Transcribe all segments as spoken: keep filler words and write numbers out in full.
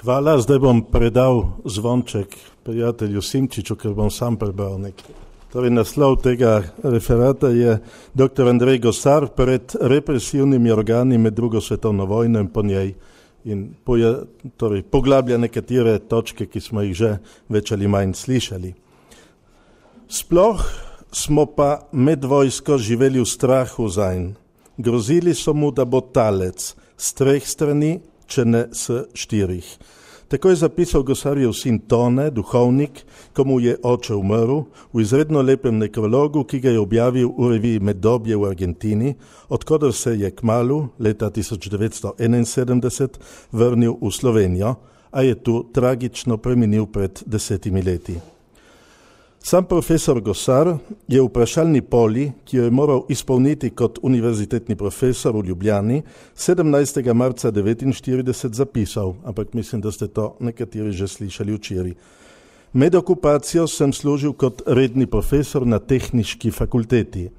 Hvala, zdaj bom predal zvonček prijatelju Simčiču, ker bom sam prebral nekaj. Torej, naslov tega referata je doktor Andrej Gosar pred represivnimi organi med drugo svetovno vojno in po njej in poja, torej, poglablja nekatere točke, ki smo jih že več ali manj slišali. Sploh smo pa med vojsko živeli v strahu zanj. Grozili so mu, da bo talec s treh strani, če ne s štirih. Tako je zapisal Gosarjev sin Tone, duhovnik, ko mu je oče umrl, v izredno lepem nekrologu, ki ga je objavil v reviji Meddobje v Argentini, odkudar se je kmalu, leta tisoč devetsto enainsedemdeset, vrnil v Slovenijo, a je tu tragično preminil pred desetimi leti. Sam profesor Gosar je v vprašalni poli, ki jo je moral izpolniti kot univerzitetni profesor v Ljubljani, sedemnajstega marca devetinštirideset zapisal, ampak mislim, da ste to nekateri že slišali včeraj. Med okupacijo sem služil kot redni profesor na tehniški fakulteti.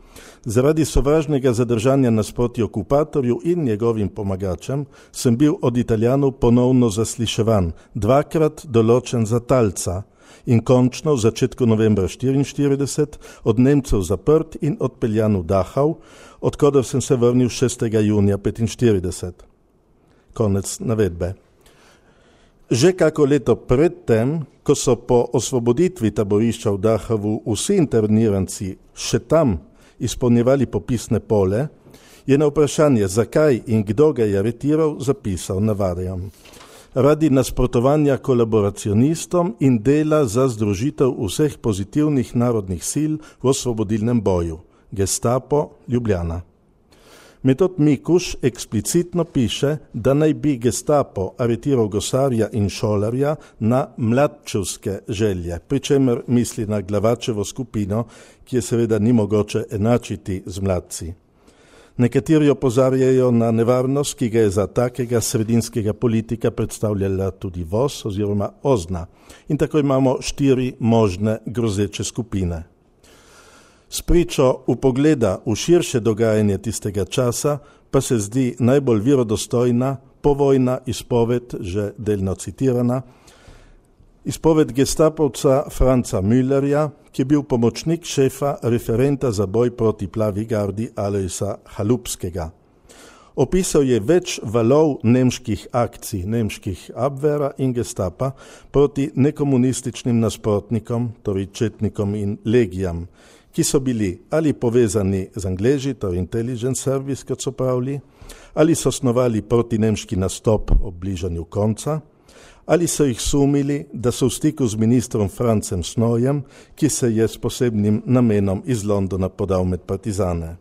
Zaradi sovražnega zadržanja nasproti okupatorju in njegovim pomagačem sem bil od Italijanov ponovno zasliševan, dvakrat določen za talca, in končno v začetku novembra štiriinštirideset od Nemcev zaprt in odpeljan v Dachau, odkudar sem se vrnil šestega junija petinštirideset. Konec navedbe. Že kako leto predtem, ko so po osvoboditvi taborišča v Dachavu vsi interniranci še tam izpolnjevali popisne pole, je na vprašanje, zakaj in kdo ga je aretiral, zapisal, navajam: radi nasprotovanja kolaboracionistom in dela za združitev vseh pozitivnih narodnih sil v osvobodilnem boju. Gestapo, Ljubljana. Metod Mikuš eksplicitno piše, da naj bi Gestapo aretiral Gosarja in Šolarja na mladčevske želje, pri čemer misli na Glavačevo skupino, ki je seveda ni mogoče enačiti z mladci. Nekateri opozarjajo na nevarnost, ki ga je za takega sredinskega politika predstavljala tudi V O S oziroma Ozna. In tako imamo štiri možne grozeče skupine. S pričo upogleda v širše dogajanje tistega časa pa se zdi najbolj verodostojna povojna izpoved, že delno citirana, izpoved gestapovca Franca Müllerja, ki je bil pomočnik šefa referenta za boj proti plavi gardi Alojsa Halupskega. Opisal je več valov nemških akcij, nemških Abwehra in Gestapa proti nekomunističnim nasprotnikom, torej četnikom in legijam, ki so bili ali povezani z Angleži, torej intelligence service, kot so pravili, ali so snovali proti nemški nastop ob bližanju konca, ali so jih sumili, da so v stiku z ministrom Francem Snojem, ki se je s posebnim namenom iz Londona podal med partizane.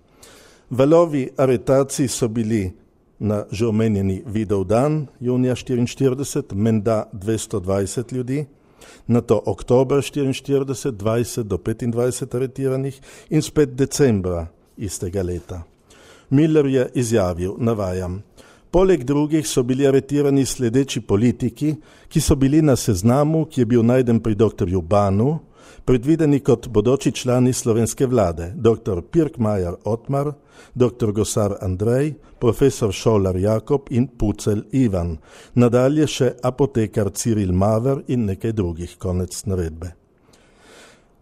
Valovi aretacij so bili na že omenjeni Vidovdan, junija štiriinštirideset, menda dvesto dvajset ljudi, nato oktober štiriinštirideset, dvajset do petindvajset aretiranih in spet decembra istega leta. Müller je izjavil, navajam: poleg drugih so bili aretirani sledeči politiki, ki so bili na seznamu, ki je bil najden pri doktorju Banu, predvideni kot bodoči člani slovenske vlade, doktor Pirkmajer Otmar, doktor Gosar Andrej, profesor Šolar Jakob in Pucelj Ivan, nadalje še apotekar Ciril Maver in nekaj drugih, konec navedbe.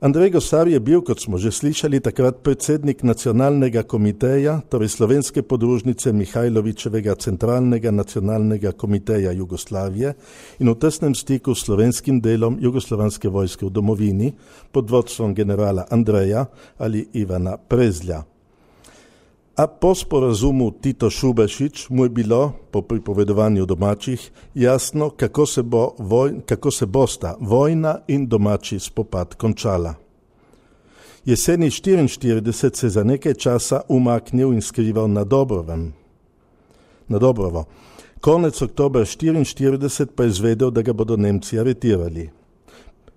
Andrej Gosar je bil, kot smo že slišali, takrat predsednik nacionalnega komiteja, torej slovenske podružnice Mihajlovičevega centralnega nacionalnega komiteja Jugoslavije in v tesnem stiku s slovenskim delom jugoslovanske vojske v domovini pod vodstvom generala Andreja ali Ivana Prezlja. A po sporazumu Tito Šubešić mu je bilo, po pripovedovanju domačih, jasno, kako se, bo voj, kako se bosta vojna in domači spopad končala. Jeseni štiriinštirideset se za nekaj časa umaknil in skrival na Dobrovem. Na Dobrovo. Konec oktobra štiriinštirideset pa je izvedel, da ga bodo Nemci aretirali.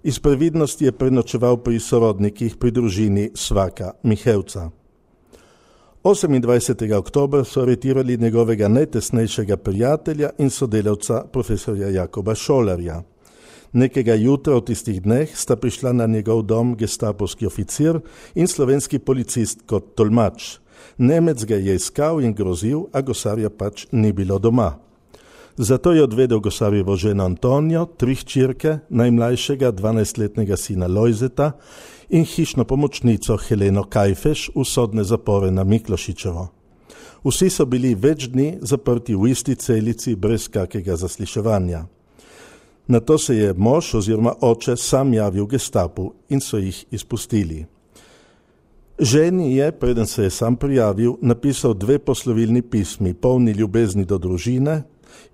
Iz previdnosti je prenočeval pri sorodnikih pri družini Svaka Mihevca. osemindvajsetega oktobra so aretirali njegovega najtesnejšega prijatelja in sodelavca profesorja Jakoba Šolarja. Nekega jutra v tistih dneh sta prišla na njegov dom gestapovski oficir in slovenski policist kot tolmač. Nemec ga je iskal in grozil, a Gosarja pač ni bilo doma. Zato je odvedel Gosarjevo ženo Antonijo, tri hčerke, najmlajšega dvanajstletnega sina Lojzeta in hišno pomočnico Heleno Kajfeš v sodne zapore na Miklošičevo. Vsi so bili več dni zaprti v isti celici brez kakega zasliševanja. Nato se je mož oziroma oče sam javil gestapu in so jih izpustili. Ženi je, preden se je sam prijavil, napisal dve poslovilni pismi, polni ljubezni do družine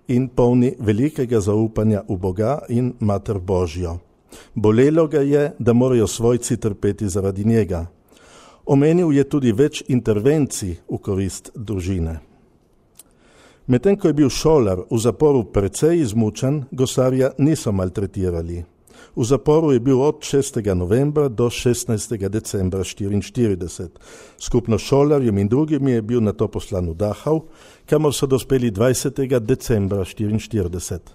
in polni velikega zaupanja v Boga in Mater Božjo. Bolelo ga je, da morajo svojci trpeti zaradi njega. Omenil je tudi več intervencij v korist družine. Medtem ko je bil šolar v zaporu precej izmučen, Gosarja niso maltretirali. V zaporu je bil od šestega novembra do šestnajstega decembra štiriinštirideset. Skupno šolarjem in drugim je bil nato poslan v Dachau, kamor so dospeli dvajsetega decembra štiriinštirideset.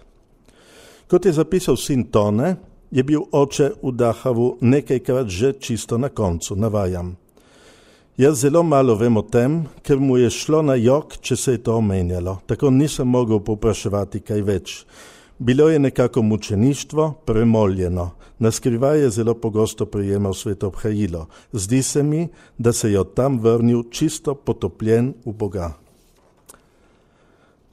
Kot je zapisal sin Tone, je bil oče v Dachavu nekajkrat že čisto na koncu, navajam. Jaz zelo malo vem o tem, ker mu je šlo na jok, če se je to omenjalo. Tako nisem mogel povpraševati kaj več. Bilo je nekako mučeništvo, premoljeno. Naskrivaj je zelo pogosto prejemal sveto obhajilo. Zdi se mi, da se je od tam vrnil čisto potopljen v Boga.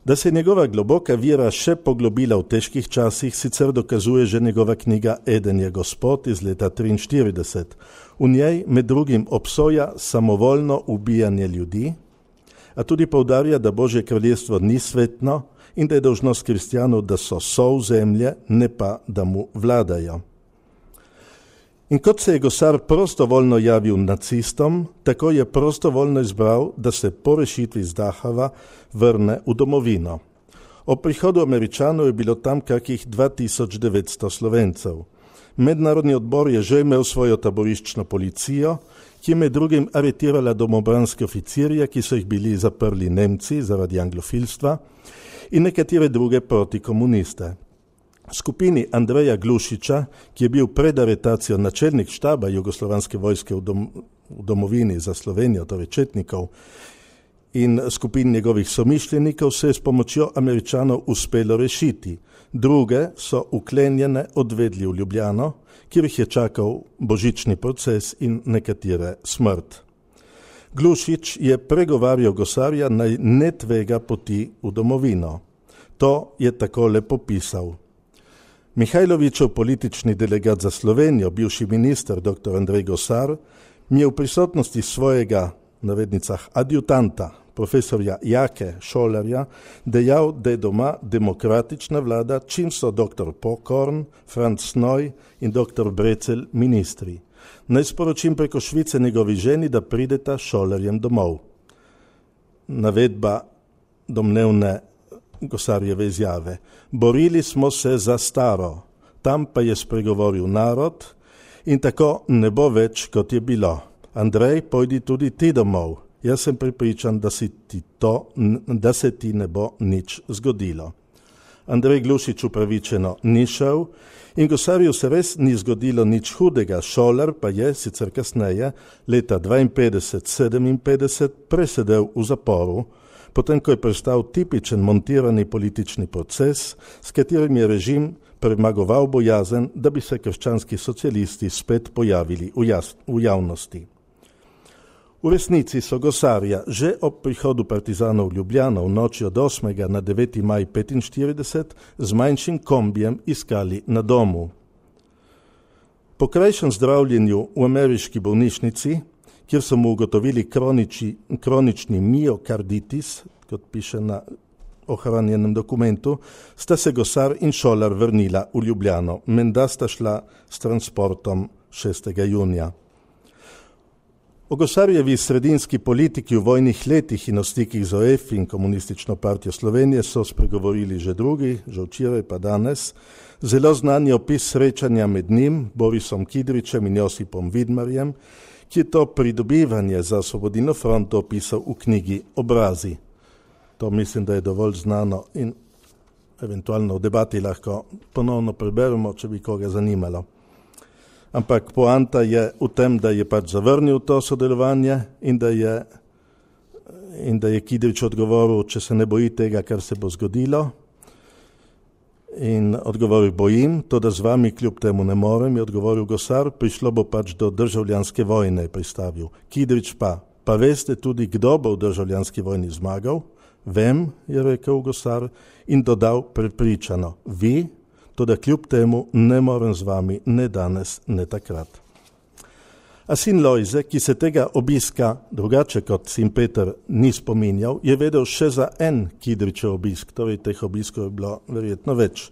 Da se je njegova globoka vira še poglobila v težkih časih, sicer dokazuje že njegova knjiga Eden je Gospod iz leta triinštirideset. V njej med drugim obsoja samovoljno ubijanje ljudi, a tudi poudarja, da Božje kraljestvo ni svetno in da je dolžnost kristjanov, da so sol zemlje, ne pa, da mu vladajo. In kot se je Gosar prostovoljno javil nacistom, tako je prostovoljno izbral, da se po rešitvi iz Dachava vrne v domovino. Ob prihodu Američanov je bilo tam kakih dva tisoč devetsto Slovencev. Mednarodni odbor je že imel svojo taboriščno policijo, ki je med drugim aretirala domobranske oficirje, ki so jih bili zaprli Nemci zaradi anglofilstva, in nekatere druge protikomuniste. Skupini Andreja Glušiča, ki je bil pred aretacijo načelnik štaba jugoslovanske vojske v, dom, v domovini za Slovenijo, torej četnikov, in skupin njegovih somišljenikov, se je s pomočjo Američanov uspelo rešiti. Druge so uklenjene odvedli v Ljubljano, kjer jih je čakal božični proces in nekatere smrt. Glušič je pregovarjal Gosarja naj ne tvega poti v domovino. To je takole popisal. Mihajlovićev politični delegat za Slovenijo, bivši minister dr. Andrej Gosar, mi je v prisotnosti svojega, navednicah, adjutanta, profesorja Jake Šolarja, dejal, da je doma demokratična vlada, čim so dr. Pokorn, Franz Snoj in dr. Brecelj ministri. Naj sporočim preko Švice njegovi ženi, da prideta Šolarjem domov. Navedba domnevne Gosarjeve izjave. Borili smo se za staro, tam pa je spregovoril narod in tako ne bo več, kot je bilo. Andrej, pojdi tudi ti domov. Jaz sem pripričan, da, si ti to, da se ti ne bo nič zgodilo. Andrej Glušič upravičeno ni šel in Gosarju se res ni zgodilo nič hudega. Šolar pa je, sicer kasneje, leta dvainpetdeset sedeminpetdeset presedel v zaporu, potem ko je prestal tipičen montirani politični proces, s katerim je režim premagoval bojazen, da bi se krščanski socialisti spet pojavili v, jas, v javnosti. V resnici so Gosarja že ob prihodu partizanov v Ljubljano v noči od osmega na deveti maj petinštirideset z manjšim kombijem iskali na domu. Po krajšem zdravljenju v ameriški bolnišnici, kjer so mu ugotovili kroniči, kronični miokarditis, kot piše na ohranjenem dokumentu, sta se Gosar in Šolar vrnila v Ljubljano. Menda sta šla s transportom šestega junija. O Gosarjevi sredinski politiki v vojnih letih in o stikih z O F in Komunistično partijo Slovenije so spregovorili že drugi, že včeraj pa danes. Zelo znan je opis srečanja med njim, Borisom Kidričem in Josipom Vidmarjem, ki je to pridobivanje za Osvobodilno fronto opisal v knjigi Obrazi. To mislim, da je dovolj znano in eventualno v debati lahko ponovno preberemo, če bi koga zanimalo. Ampak poanta je v tem, da je pač zavrnil to sodelovanje in da je, in da je Kidrič odgovoril, če se ne boji tega, kar se bo zgodilo, In odgovoril, bojim, to da z vami kljub temu ne morem, je odgovoril Gosar, prišlo bo pač do državljanske vojne, je pristavil. Kidrič pa, pa veste tudi, kdo bo v državljanski vojni zmagal? Vem, je rekel Gosar in dodal prepričano, vi, to da kljub temu ne morem z vami ne danes, ne takrat. A sin Lojze, ki se tega obiska, drugače kot sin Peter, ni spominjal, je vedel še za en Kidričev obisk, torej teh obiskov je bilo verjetno več.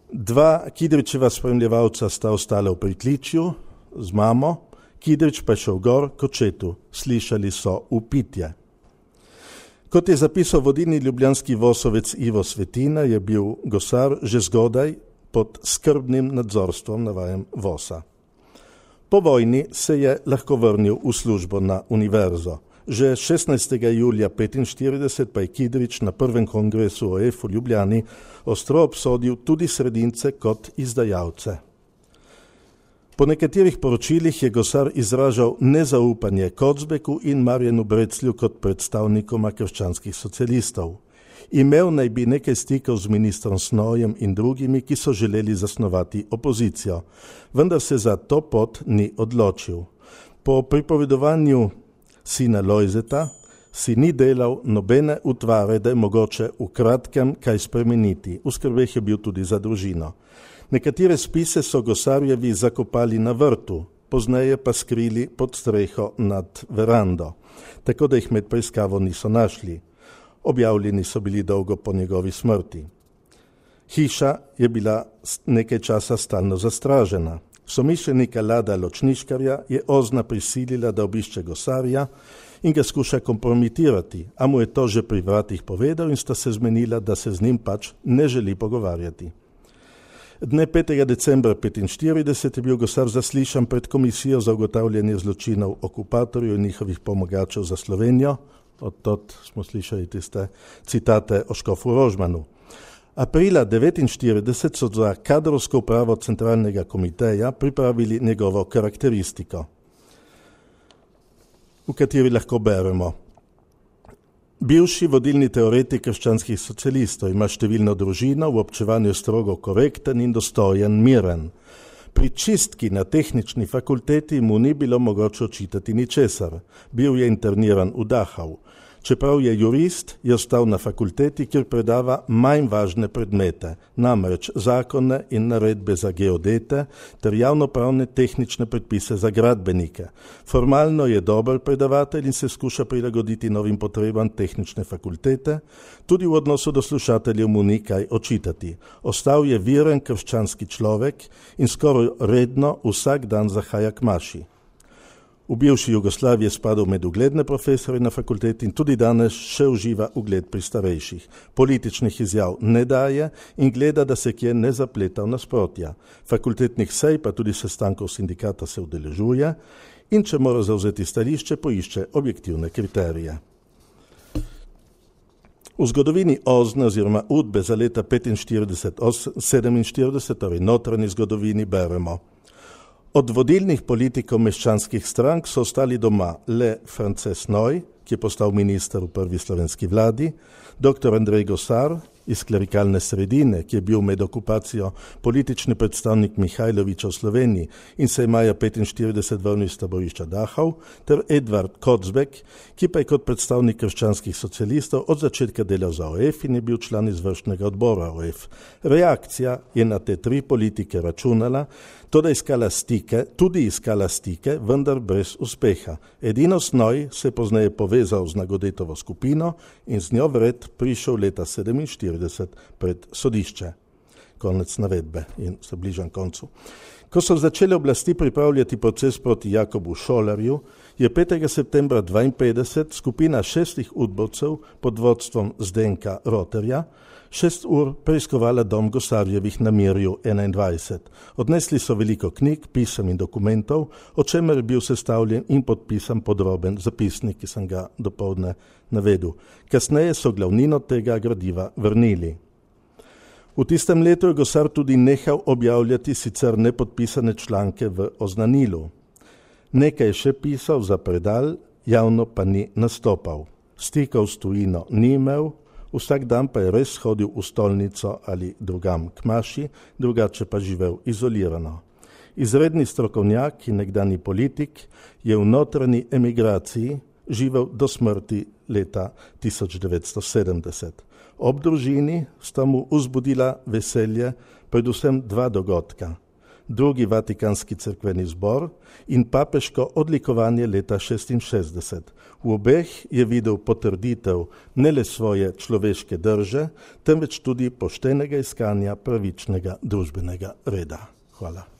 Dva Kidričeva spremljevalca sta ostala v pritličju z mamo, Kidrič pa je šel gor k očetu, slišali so vpitje. Kot je zapisal vodilni ljubljanski vosovec Ivo Svetina, je bil Gosar že zgodaj pod skrbnim nadzorstvom, navajam, vosa. Po vojni se je lahko vrnil v službo na univerzo. Že šestnajstega julija petinštirideset pa je Kidrič na prvem kongresu O F v Ljubljani ostro obsodil tudi sredince kot izdajalce. Po nekaterih poročilih je Gosar izražal nezaupanje Kocbeku in Marjanu Breclju kot predstavnikoma krščanskih socialistov. Imel naj bi nekaj stikov z ministrom Snojem in drugimi, ki so želeli zasnovati opozicijo, vendar se za to pot ni odločil. Po pripovedovanju sina Lojzeta si ni delal nobene utvare, da je mogoče v kratkem kaj spremeniti. V skrbeh je bil tudi za družino. Nekatere spise so Gosarjevi zakopali na vrtu, pozneje pa skrili pod streho nad verando, tako da jih med preiskavo niso našli. Objavljeni so bili dolgo po njegovi smrti. Hiša je bila nekaj časa stalno zastražena. Somišljenika Lada Ločniškarja je Ozna prisilila, da obišče Gosarja in ga skuša kompromitirati, a mu je to že pri vratih povedal in sta se zmenila, da se z njim pač ne želi pogovarjati. Dne petega decembra petinštirideset je bil Gosar zaslišan pred komisijo za ugotavljanje zločinov okupatorjev in njihovih pomagačev za Slovenijo. Od tot smo slišali tiste citate o škofu Rožmanu. Aprila devetinštirideset so za kadrovsko upravo centralnega komiteja pripravili njegovo karakteristiko, v kateri lahko beremo. Bivši vodilni teoretik krščanskih socialistov ima številno družino, v občevanju je strogo korekten in dostojen, miren. Pri čistki na tehnični fakulteti mu ni bilo mogoče očitati ničesar. Bil je interniran v Dachau. Čeprav je jurist, je ostal na fakulteti, kjer predava manj važne predmete, namreč zakone in naredbe za geodete ter javnopravne tehnične predpise za gradbenike. Formalno je dober predavatelj in se skuša prilagoditi novim potrebam tehnične fakultete, tudi v odnosu do slušateljev mu ni kaj očitati. Ostal je viren krščanski človek in skoraj redno vsak dan zahaja k maši. V bivši Jugoslaviji je spadal med ugledne profesore na fakulteti in tudi danes še uživa ugled pri starejših. Političnih izjav ne daje in gleda, da se kje ne zapleta v nasprotja. Fakultetnih sej pa tudi sestankov sindikata se udeležuje in če mora zavzeti stališče, poišče objektivne kriterije. V zgodovini Ozne oziroma Udbe za leta petinštirideset sedeminštirideset, torej notranji zgodovini, beremo. Od vodilnih politikov meščanskih strank so ostali doma le France Snoj, ki je postal minister v prvi slovenski vladi, doktor Andrej Gosar iz klerikalne sredine, ki je bil med okupacijo politični predstavnik Mihajloviča v Sloveniji in se je maja petinštirideset vrnil iz taborišča Dachau, ter Edvard Kocbek, ki pa je kot predstavnik krščanskih socialistov od začetka delal za O F in je bil član izvršnega odbora O F. Reakcija je na te tri politike računala, toda iskala stike, tudi iskala stike, vendar brez uspeha. Edino Snoj se je pozneje povezal z Nagodetovo skupino in z njo vred prišel leta sedeminštirideset pred sodišče. Konec navedbe in se bližam koncu. Ko so začele oblasti pripravljati proces proti Jakobu Šolarju, je petega septembra dvainpetdeset skupina šestih udbovcev pod vodstvom Zdenka Roterja šest ur preiskovala dom Gosarjevih na Mirju enaindvajset. Odnesli so veliko knjig, pisem in dokumentov, o čemer je bil sestavljen in podpisan podroben zapisnik, ki sem ga dopoldne navedel. Kasneje so glavnino tega gradiva vrnili. V tistem letu je Gosar tudi nehal objavljati sicer nepodpisane članke v Oznanilu. Nekaj je še pisal za predal, javno pa ni nastopal. Stikov s tujino ni imel, Vsak dan pa je res hodil v stolnico ali drugam k maši, drugače pa živel izolirano. Izredni strokovnjak in nekdani politik je v notranji emigraciji živel do smrti leta tisoč devetsto sedemdeset. Ob družini sta mu vzbudila veselje predvsem dva dogodka. Drugi Vatikanski cerkveni zbor in papeško odlikovanje leta šestinšestdeset. V obeh je videl potrditev ne le svoje človeške drže, temveč tudi poštenega iskanja pravičnega družbenega reda. Hvala.